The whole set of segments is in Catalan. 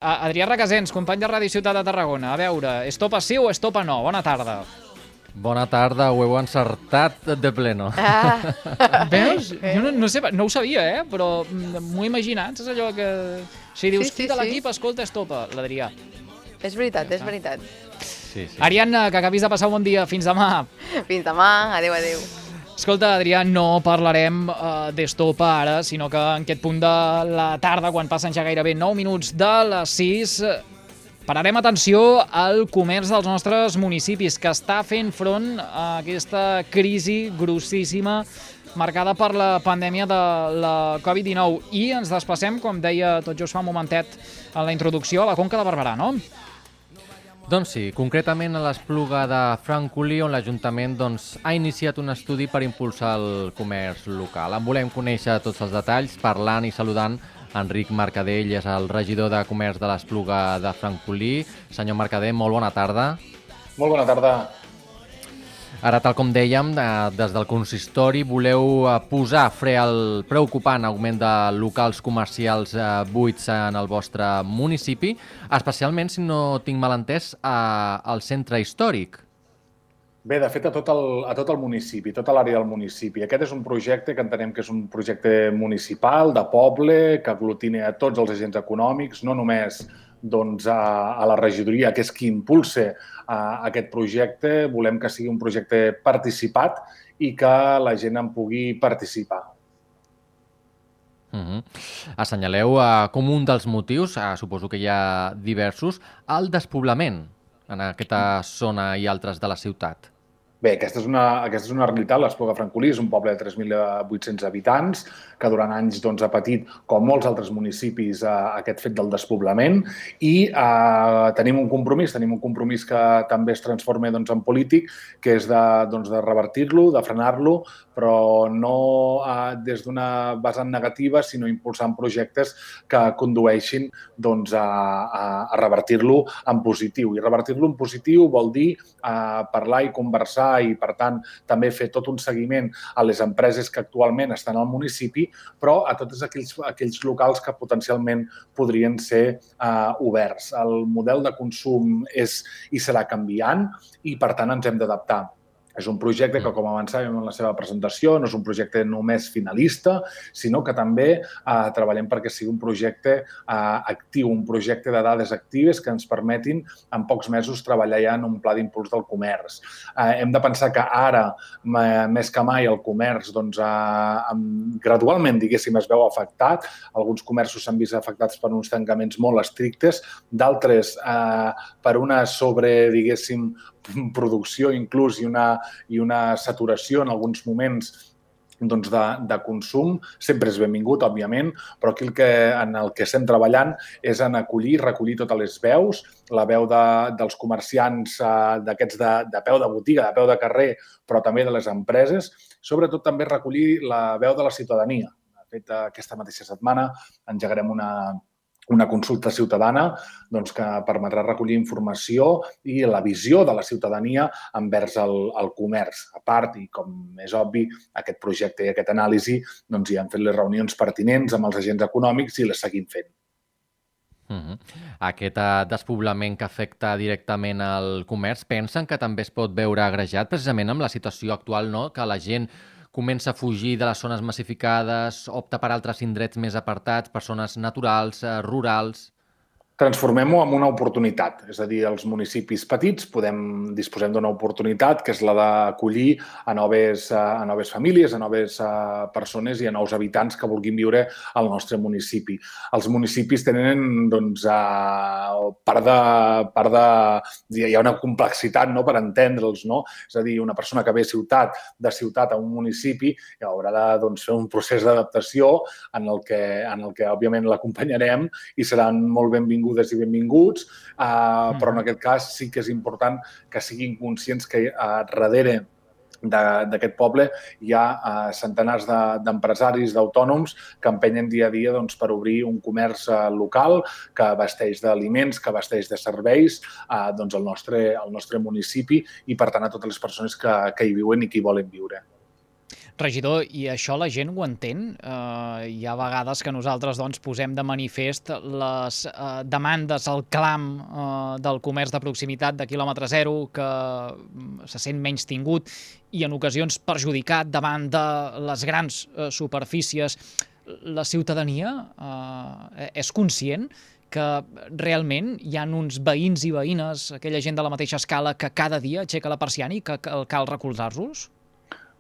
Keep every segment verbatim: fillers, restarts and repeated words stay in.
Adrià Requesens, company de Ràdio Ciutat de Tarragona. A veure, estopa sí o estopa no? Bona tarda. Bona tarda, ho heu encertat de pleno. Ah. Veus? Jo no, no, sé, no ho sabia, eh? Però m'ho he imaginat. És allò que... Si dius Sí, sí, qui de sí. l'equip, escolta, estopa, l'Adrià. És veritat, és veritat. Sí, sí. Ariadna, que acabis de passar un bon dia. Fins demà. Fins demà. Adéu, adéu. Escolta, Adrià, no parlarem uh, d'estopa ara, sinó que en aquest punt de la tarda, quan passen ja gairebé nou minuts de les sis, pararem atenció al comerç dels nostres municipis, que està fent front a aquesta crisi grossíssima marcada per la pandèmia de la covid dinou. I ens desplacem, com deia tot just fa un momentet en la introducció, a la Conca de Barberà, no? Doncs sí, concretament a l'Espluga de Francolí, on l'Ajuntament doncs, ha iniciat un estudi per impulsar el comerç local. En volem conèixer tots els detalls, parlant i saludant Enric Mercader, ell és el regidor de comerç de l'Espluga de Francolí. Senyor Mercader, molt bona tarda. Molt bona tarda. Ara, tal com dèiem, des del consistori voleu posar fre al preocupant augment de locals comercials buits en el vostre municipi, especialment, si no tinc mal entès, al centre històric. Bé, de fet, a tot el, a tot el municipi, tota l'àrea del municipi. Aquest és un projecte que entenem que és un projecte municipal, de poble, que aglutina a tots els agents econòmics, no només doncs, a, a la regidoria, que és qui impulsa a, aquest projecte. Volem que sigui un projecte participat i que la gent en pugui participar. Uh-huh. Assenyaleu uh, com un dels motius, uh, suposo que hi ha diversos, el despoblament en aquesta zona i altres de la ciutat. Bé, aquesta és una, aquesta és una realitat. L'Espluga de Francolí és un poble de tres mil vuit-cents habitants que durant anys doncs, ha patit, com molts altres municipis, eh, aquest fet del despoblament i eh, tenim un compromís, tenim un compromís que també es transforma doncs, en polític, que és de, doncs, de revertir-lo, de frenar-lo, però no eh, des d'una vessant negativa, sinó impulsant projectes que condueixin doncs, a, a, a revertir-lo en positiu. I revertir-lo en positiu vol dir eh, parlar i conversar i, per tant, també fer tot un seguiment a les empreses que actualment estan al municipi, però a tots aquells, aquells locals que potencialment podrien ser eh, oberts. El model de consum és i serà canviant i, per tant, ens hem d'adaptar. És un projecte que, com avançàvem en la seva presentació, no és un projecte només finalista, sinó que també eh, treballem perquè sigui un projecte eh, actiu, un projecte de dades actives que ens permetin en pocs mesos treballar ja en un pla d'impuls del comerç. Eh, hem de pensar que ara, més que mai, el comerç doncs, eh, gradualment, diguéssim, es veu afectat. Alguns comerços s'han vist afectats per uns tancaments molt estrictes, d'altres eh, per una sobre, diguéssim, producció inclús i una, i una saturació en alguns moments doncs, de, de consum. Sempre és benvingut, òbviament, però aquí el que, en el que estem treballant és en acollir, recollir totes les veus, la veu de, dels comerciants eh, d'aquests de, de peu de botiga, de peu de carrer, però també de les empreses, sobretot també recollir la veu de la ciutadania. De fet, aquesta mateixa setmana engegarem una una consulta ciutadana doncs, que permetrà recollir informació i la visió de la ciutadania envers el, el comerç. A part, i com és obvi, aquest projecte i aquest anàlisi doncs, hi han fet les reunions pertinents amb els agents econòmics i les seguim fent. Uh-huh. Aquest uh, despoblament que afecta directament al comerç, pensen que també es pot veure agrejat precisament amb la situació actual, no? Que la gent comença a fugir de les zones massificades, opta per altres indrets més apartats, per zones naturals, eh, rurals. Transformem-ho en una oportunitat. És a dir, els municipis petits podem disposem d'una oportunitat que és la d'acollir a noves, a noves famílies, a noves persones i a nous habitants que vulguin viure al nostre municipi. Els municipis tenen, doncs, a, part de, part de... Hi ha una complexitat, no?, per entendre'ls, no? És a dir, una persona que ve a ciutat, de ciutat a un municipi, haurà de doncs, fer un procés d'adaptació en el que, en el que òbviament, l'acompanyarem i seran molt benvinguts i benvinguts, eh, però en aquest cas sí que és important que siguin conscients que eh, darrere d'aquest poble hi ha eh, centenars d'empresaris, de, d'autònoms que empenyen dia a dia doncs, per obrir un comerç eh, local que abasteix d'aliments, que abasteix de serveis eh, doncs, al, nostre, al nostre municipi i, per tant, a totes les persones que, que hi viuen i que hi volen viure. Regidor, i això la gent ho entén? Uh, hi ha vegades que nosaltres doncs, posem de manifest les uh, demandes, el clam uh, del comerç de proximitat de quilòmetre zero, que se sent menys tingut i en ocasions perjudicat davant de les grans uh, superfícies. La ciutadania uh, és conscient que realment hi ha uns veïns i veïnes, aquella gent de la mateixa escala, que cada dia aixeca la persiana i que cal recolzar-los?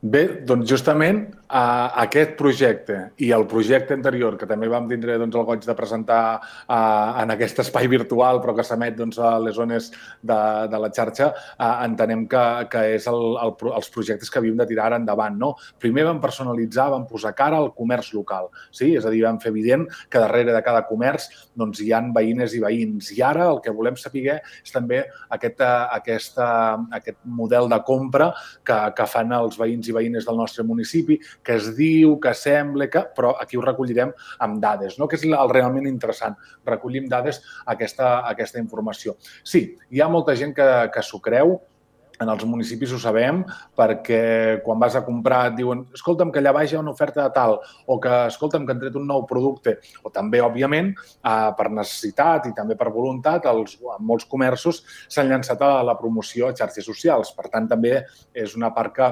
Bé, doncs justament eh, aquest projecte i el projecte anterior, que també vam tindre doncs, el goig de presentar eh, en aquest espai virtual, però que s'emet doncs, a les zones de, de la xarxa, eh, entenem que, que és el, el, els projectes que havíem de tirar endavant. No? Primer vam personalitzar, vam posar cara al comerç local. Sí? És a dir, vam fer evident que darrere de cada comerç doncs, hi ha veïnes i veïns. I ara el que volem saber és també aquest, aquesta, aquest model de compra que, que fan els veïns i veïnes del nostre municipi, que es diu, que sembla, que... però aquí ho recollirem amb dades, no? Que és el realment interessant. Recollim dades aquesta, aquesta informació. Sí, hi ha molta gent que, que s'ho creu, en els municipis ho sabem, perquè quan vas a comprar et diuen escolta'm, que allà baix hi ha una oferta de tal, o que escolta'm, que han tret un nou producte, o també, òbviament, eh, per necessitat i també per voluntat, els, en molts comerços s'han llançat a la promoció a xarxes socials. Per tant, també és una part que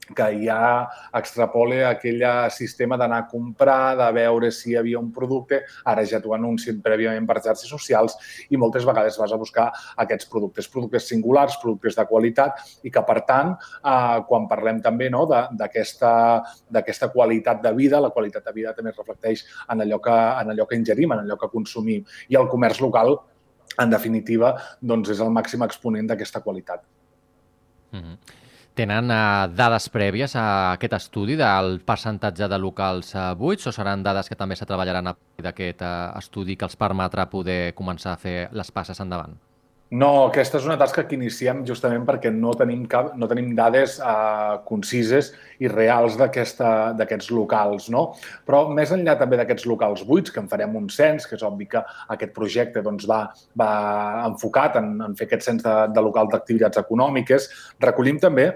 que ja extrapola aquell sistema d'anar a comprar, de veure si hi havia un producte, ara ja t'ho anuncien prèviament per xarxes socials i moltes vegades vas a buscar aquests productes, productes singulars, productes de qualitat i que, per tant, eh, quan parlem també no, d'aquesta qualitat de vida, la qualitat de vida també es reflecteix en allò que, en allò que ingerim, en allò que consumim. I el comerç local, en definitiva, doncs és el màxim exponent d'aquesta qualitat. Mm-hmm. Tenen uh, dades prèvies a aquest estudi del percentatge de locals uh, buits o seran dades que també se treballaran a partir d'aquest uh, estudi que els permetrà poder començar a fer les passes endavant? No, aquesta és una tasca que iniciem justament perquè no tenim, cap, no tenim dades eh, concises i reals d'aquests locals, no? Però més enllà també d'aquests locals buits, que en farem un cens, que és obvi que aquest projecte doncs, va, va enfocat en, en fer aquest cens de, de locals d'activitats econòmiques, recollim també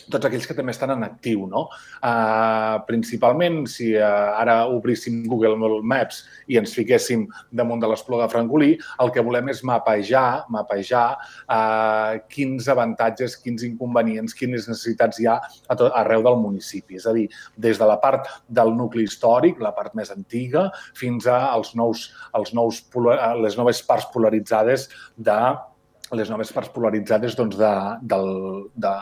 tots aquells que també estan en actiu, no? Uh, principalment, si uh, ara obríssim Google Maps i ens fiquéssim damunt de l'Espluga de Francolí, el que volem és mapejar, mapejar uh, quins avantatges, quins inconvenients, quines necessitats hi ha a tot, arreu del municipi. És a dir, des de la part del nucli històric, la part més antiga, fins a els nous, els nous, les noves parts polaritzades de les noves parts polaritzades doncs, de, del, de,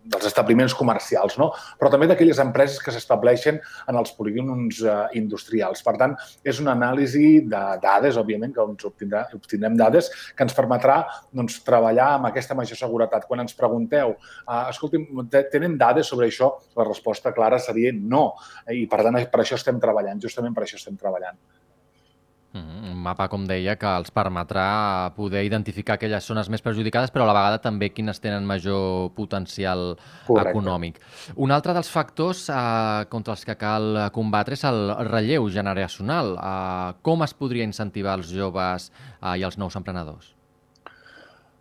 dels establiments comercials, no? Però també d'aquelles empreses que s'estableixen en els polígons eh, industrials. Per tant, és una anàlisi de dades, òbviament, que ens obtindrà, obtindrem dades, que ens permetrà doncs, treballar amb aquesta major seguretat. Quan ens pregunteu, eh, escolti'm, tenen dades sobre això? La resposta clara seria no. I, per tant, per això estem treballant, justament per això estem treballant. Un mapa, com deia, que els permetrà poder identificar aquelles zones més perjudicades, però a la vegada també quines tenen major potencial Correcte. Econòmic. Un altre dels factors eh, contra els que cal combatre és el relleu generacional. Eh, com es podria incentivar els joves eh, i els nous emprenedors?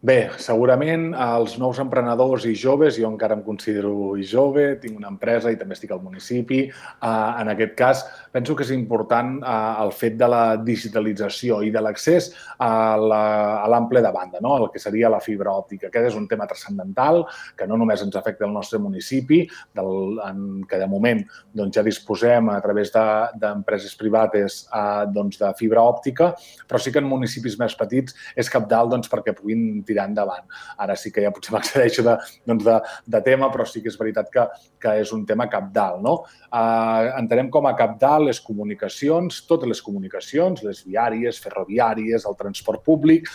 Bé, segurament els nous emprenedors i joves, jo encara em considero jove, tinc una empresa i també estic al municipi. En aquest cas, penso que és important el fet de la digitalització i de l'accés a l'ample de banda, no? El que seria la fibra òptica. Aquest és un tema transcendental que no només ens afecta el nostre municipi, del, en que de moment doncs, ja disposem a través d'empreses de, privades doncs, de fibra òptica, però sí que en municipis més petits és cabdal doncs, perquè puguin tirar endavant. Ara sí que ja potser m'accedeixo de, doncs de, de tema, però sí que és veritat que, que és un tema cabdal. No? Uh, entenem com a cabdal les comunicacions, totes les comunicacions, les viàries, ferroviàries, el transport públic,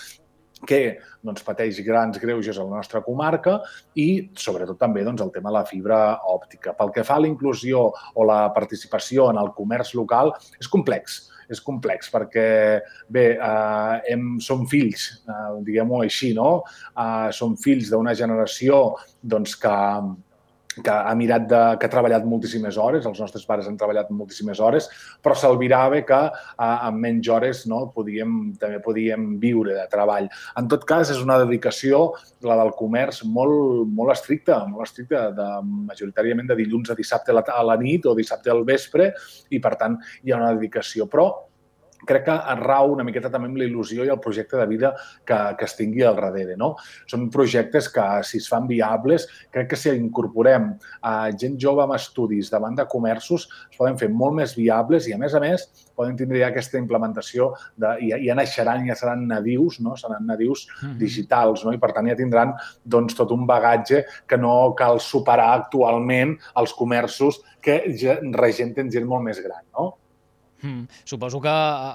que doncs, pateix grans greuges a la nostra comarca i, sobretot, també doncs, el tema de la fibra òptica. Pel que fa a la inclusió o la participació en el comerç local, és complex. És complex perquè, bé, eh, hem, som fills, eh, diguem-ho així, no? Eh, som fills d'una generació doncs, que que ha mirat de, que ha treballat moltíssimes hores, els nostres pares han treballat moltíssimes hores, però s'albirava que amb menys hores no, podíem, també podíem viure de treball. En tot cas, és una dedicació, la del comerç, molt, molt estricta, molt estricta, de, majoritàriament de dilluns a dissabte a la, a la nit o dissabte al vespre, i per tant hi ha una dedicació. Però crec que rau una miqueta també amb la il·lusió i el projecte de vida que, que es tingui al darrere. No? Són projectes que, si es fan viables, crec que si incorporem a gent jove amb estudis davant de comerços, es poden fer molt més viables i, a més a més, poden tindre ja aquesta implementació, de, ja, ja naixeran, ja seran nadius, no? Seran nadius digitals, no? I per tant ja tindran doncs, tot un bagatge que no cal superar actualment els comerços que regenten gent molt més gran, no? Mm. Suposo que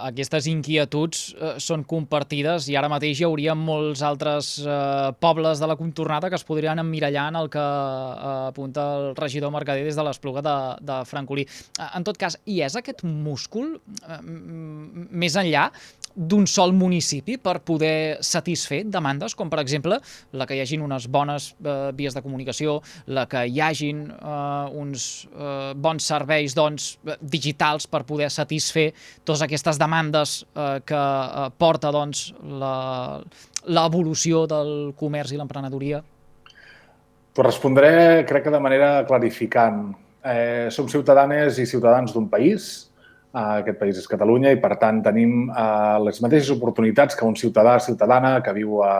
aquestes inquietuds eh, són compartides i ara mateix hi hauria molts altres eh, pobles de la contornada que es podrien emmirallar en el que eh, apunta el regidor Mercader des de l'Espluga de, de Francolí. En tot cas, hi és aquest múscul eh, més enllà d'un sol municipi per poder satisfer demandes, com per exemple la que hi hagin unes bones eh, vies de comunicació, la que hi hagin eh, uns eh, bons serveis doncs, digitals per poder satisfer totes aquestes demandes eh, que eh, porta doncs, l'evolució del comerç i l'emprenedoria? T'ho respondré, crec que de manera clarificant. Eh, som ciutadanes i ciutadans d'un país. Aquest país és Catalunya i, per tant, tenim eh, les mateixes oportunitats que un ciutadà o ciutadana que viu a,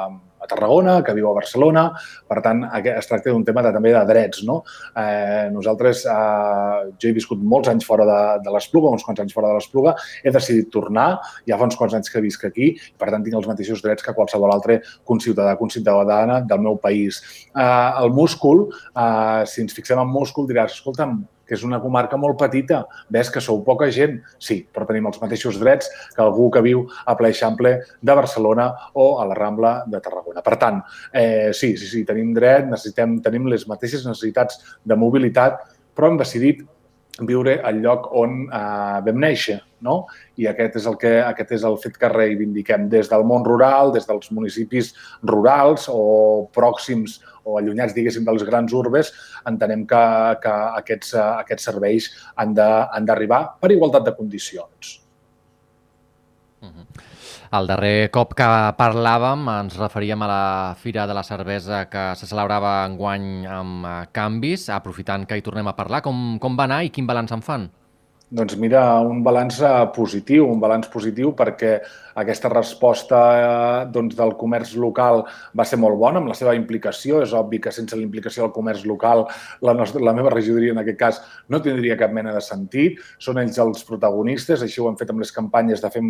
a Tarragona, que viu a Barcelona. Per tant, es tracta d'un tema de, també de drets. No? Eh, nosaltres, eh, jo he viscut molts anys fora de, de l'Espluga, uns quants anys fora de l'Espluga, he decidit tornar, ja fa uns quants anys que visc aquí, i per tant tinc els mateixos drets que qualsevol altre conciutadà o conciutadana del meu país. Eh, el múscul, eh, si ens fixem en múscul, diràs, escolta'm, que és una comarca molt petita. Ves que sou poca gent? Sí, però tenim els mateixos drets que algú que viu a Ple Eixample de Barcelona o a la Rambla de Tarragona. Per tant, eh, sí, sí, sí, tenim dret, necessitem, tenim les mateixes necessitats de mobilitat, però hem decidit viure al lloc on eh, vam néixer, no? I aquest és, el que, aquest és el fet que reivindiquem des del món rural, des dels municipis rurals o pròxims o allunyats, diguéssim, dels grans urbes, entenem que, que aquests, aquests serveis han d'arribar per igualtat de condicions. Uh-huh. El darrer cop que parlàvem ens referíem a la Fira de la Cervesa que se celebrava enguany amb canvis. Aprofitant que hi tornem a parlar, com, com va anar i quin balanç en fan? Doncs mira, un balanç positiu, un balanç positiu perquè aquesta resposta doncs, del comerç local va ser molt bona amb la seva implicació. És obvi que sense la implicació del comerç local la, nostra, la meva regidoria en aquest cas no tindria cap mena de sentit. Són ells els protagonistes, així ho hem fet amb les campanyes de fer,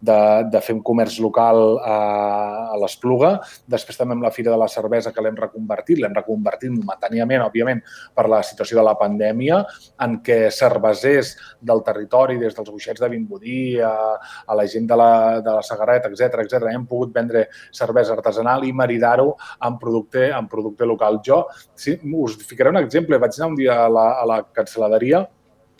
de, de fer un comerç local a, a l'Espluga. Després també amb la Fira de la Cervesa que l'hem reconvertit, l'hem reconvertit momentàniament, òbviament, per la situació de la pandèmia, en què cervesers del territori, des dels boixets de Vimbodí a, a la gent de la, de la Sagarreta, etcètera, etcètera, hem pogut vendre cervesa artesanal i maridar-ho amb producte, amb producte local. Jo, sí, us ficaré un exemple. Vaig anar un dia a la, a la cancel·laderia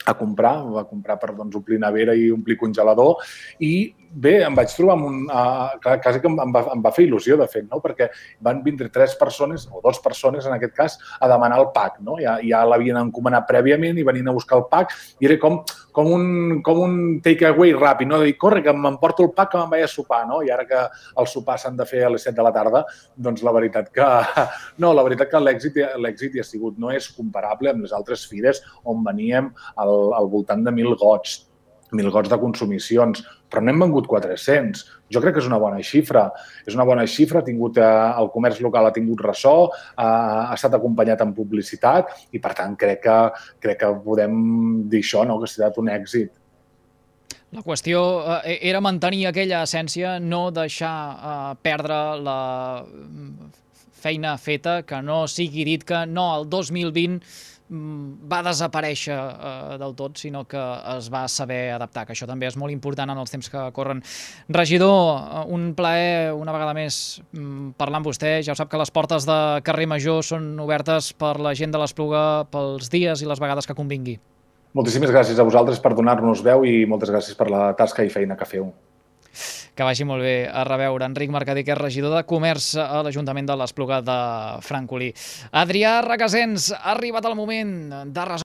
a comprar, va comprar per doncs, omplir nevera i omplir congelador i bé, em vaig trobar amb un... Uh, quasi que em va, em va fer il·lusió, de fet, no? Perquè van vindre tres persones, o dues persones en aquest cas, a demanar el pack. No? Ja, ja l'havien encomanat prèviament i venien a buscar el pack i era com, com un, com un take-away ràpid, no? De dir, corre, que m'emporto el pack que me'n vaig a sopar, no? I ara que el sopar s'han de fer a les set de la tarda, doncs la veritat que... No, la veritat que l'èxit l'èxit hi ha sigut. No és comparable amb les altres fires on veníem al, al voltant de mil gots. mil gots de consumicions, però n'hem vengut quatre-cents. Jo crec que és una bona xifra. És una bona xifra, ha tingut, eh, el comerç local ha tingut ressò, eh, ha estat acompanyat en publicitat i, per tant, crec que, crec que podem dir això, no? Que ha estat un èxit. La qüestió eh, era mantenir aquella essència, no deixar eh, perdre la feina feta, que no sigui dit que no, el dos mil vint va desaparèixer eh, del tot, sinó que es va saber adaptar, que això també és molt important en els temps que corren. Regidor, un plaer una vegada més parlar amb vostè. Ja ho sap que les portes de Carrer Major són obertes per la gent de l'Espluga pels dies i les vegades que convingui. Moltíssimes gràcies a vosaltres per donar-nos veu i moltes gràcies per la tasca i feina que feu. Que vagi molt bé a reveure. Enric Mercader, que és regidor de Comerç a l'Ajuntament de l'Espluga de Francolí. Adrià Requesens, ha arribat el moment de resoldre